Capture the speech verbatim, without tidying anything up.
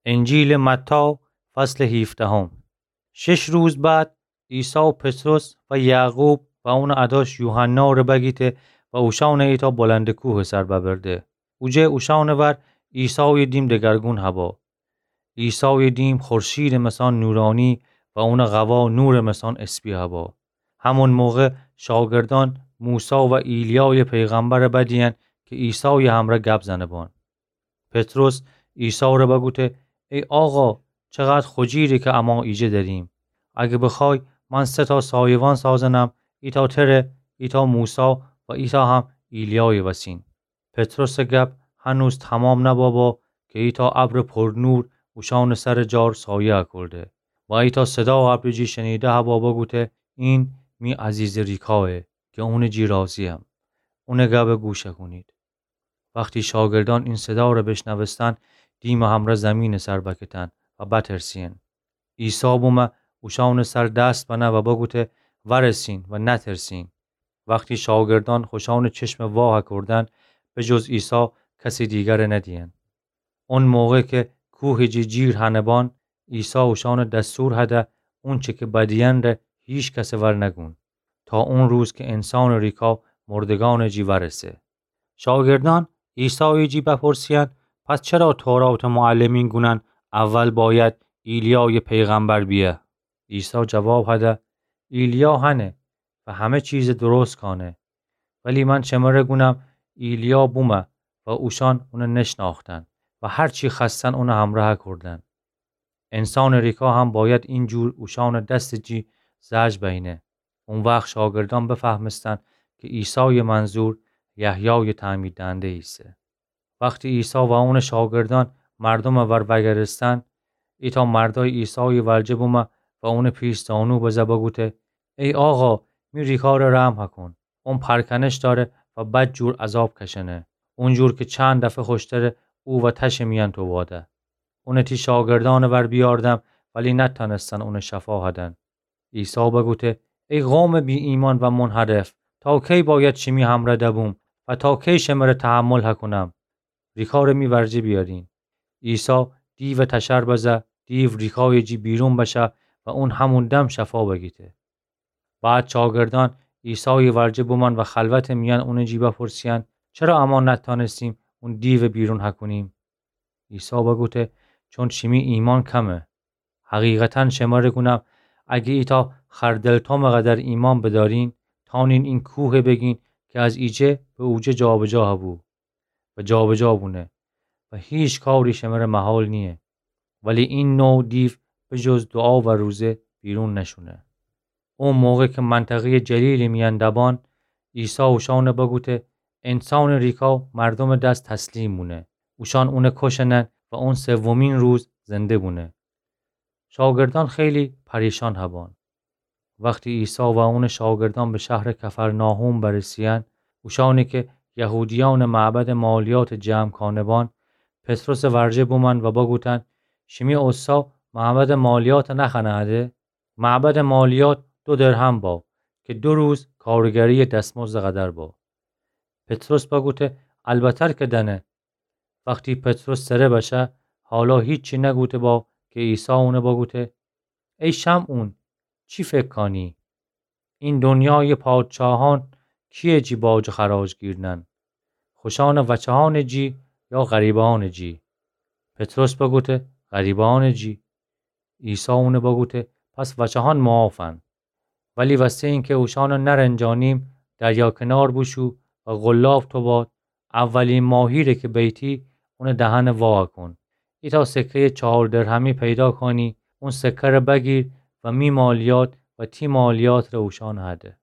انجیلٚ متی، فصلٚ هیفدهم. شش روز بعد، عیسی پطرس و یعقوب و اونٚ اداش یوحنا ره بگیته و اوشأنه ایتأ بلندٚ کوهٚ سر ببرده. اوجه اوشأنٚ ور عیسایٚ دیم دگرگون هبا. عیسایٚ دیم خورشیدٚ مثان نورانی و اونٚ قوا نورٚ مثان اسپی هبا. همون موقع شاگردأن موسی و ایلیایٚ پیغمبرٚ بدیین که عیسایٚ همرأ گب زنه‌بان. پطرس عیسی ره بگوته: ای آقا، چقدر خوجیره که اما ایجه دریم. اگه بخوای، من سه تا سایوان سازنم، ایتا تره، ایتا موسی و ایتا هم ایلیایٚ وسین. پطرسٚ گب هنوز تمام نبابا که ایتا ابرٚ پرنور اوشأنٚ سرٚ جار سایه اکرده و ایتا صدا ابرٚ جی شنیده هبا بگوته: این می عزیزٚ ریکایه که اونٚ جی راضییم. اونٚ گبٚ گوش اکونید. وختی شاگردأن این صدا ره بشنوستن، دیمٚ همرأ زیمینٚ سر بکتن و بترسین. عیسی بومه اوشأنٚ سر دست بنه و بگوته: ورسین و نترسین. وختی شاگردأن خوشأنٚ چشمٚ واه اکردن، به جز عیسی کسٚ دیگر ندیین. اون موقع که کوهٚ جی جیر هنه‌بان، عیسی اوشأنٚ دستور هده اونچه که بدیین ره هیکسٚ ور نگون، تا اون روز که انسانٚ ریکا مردگأنٚ جی ورسه. شاگردأن عیسایٚ جی بپرسیین: پس چرا توراتٚ معلمین گونن اول باید ایلیایٚ پیغمبر بیه؟ عیسی جواب هده: ایلیا هنه و همه چیزٚ درست کانه. ولی من شمره گونم ایلیا بومه و اوشأن اونه نشناختن و هر چی خوأستن اونٚ همرأ اکردن. انسانٚ ریکا هم باید اینجور اوشأنٚ دستٚ جی زجر بأینه. او وخت شاگردأن بفهمستن که عیسایٚ منظور یحیایٚ تعمیددهنده ایسه. وختی عیسی و اونٚ شاگردأن مردومٚ ور وأگردستن، ایتأ مردأی عیسایٚ ورجه بومه و اونٚ پیش زانو بزه بگوته: ای آقا، می ریکا ره رحم هکون. اون پرکنش دأره و بدجور عذاب کشأنه، اونجور که چند دفعه خوشتره او و تشٚ میأن توباده. اونٚ تی شاگردأنٚ ور بیأردم، ولی نتأنستن اونٚ شفا هدن. عیسی بگوته: ای قومٚ بی‌ایمأن و منحرف، تا کی باید شیمی همرأ دبوم و تا کی شمره تحمل هکونم؟ ریکا ره می ورجه بیأرین. عیسی دیوٚ تشر بزه، دیو ریکایٚ جی بیرون بشه و اون همون دم شفا بگیته. بعد شاگردأن عیسایٚ ورجه بومأن و خلوتٚ میأن اونٚ جی بپرسیأن: چرا اما نتأنستیم اون دیوٚ بیرون هکونیم؟ عیسی بگوته: چون شیمی ایمأن کمه. حقیقتاً شمره گونم، اگه ایتأ خردل تومٚ قدر ایمأن بدأرین، تأنین این کوهٚ بگین که از ایجه به اوجه جابجا هبو و جابجا بونه و هیچ کاری شمره محال نییه. ولی این نوع دیو به جز دوعا و روزه بیرون نشونه. او موقع که منطقهٔ جلیلٚ میأن دبان، عیسی اوشأنه بگوته: انسانٚ ریکا مردومٚ دس تسلیم بونه. اوشأن اونه کشنن و اون سومین روز زنده بونه. شاگردأن خیلی پریشان هبان. وختی عیسی و اونٚ شاگردأن به شهرٚ کفرناحوم برسیأن، اوشأنی که یهودیأنٚ معبدٚ مالیاتٚ جمع کانه‌بان، پطرسٚ ورجه بومأن و بگوتأن: شیمی اوستا معبدٚ مالیات نخوأنه‌ده؟ معبدٚ مالیات دو درهم با که دو روز کارگریٚ دسمزدٚ قدر با. پطرس بگوته: البتر که دأنه. وختی پطرس سره بشه، حالا هیچی نگوته با که عیسی اونه بگوته: ای شمعون، چی فکر کانی؟ این دنیایٚ پادشاهأن کییٚ جی باج و خراج گیرنن؟ خوشأنٚ وچهأنٚ جی یا غریبأنٚ جی؟ پطرس بگوته: غریبأنٚ جی. عیسی اونه بگوته: پس وچهأن معافن. ولی وسته اینکه اوشأنه نرنجانیم، دریا کنار بوشو و قلاب توباد، اولی ماهی ره که بیتی، اونٚ دهنه وا کون. ایتأ سکهٔ چهار درهمی پیدا کانی، اون سکه ره بگیر و می مالیات و تی مالیات ره اوشأنه هده.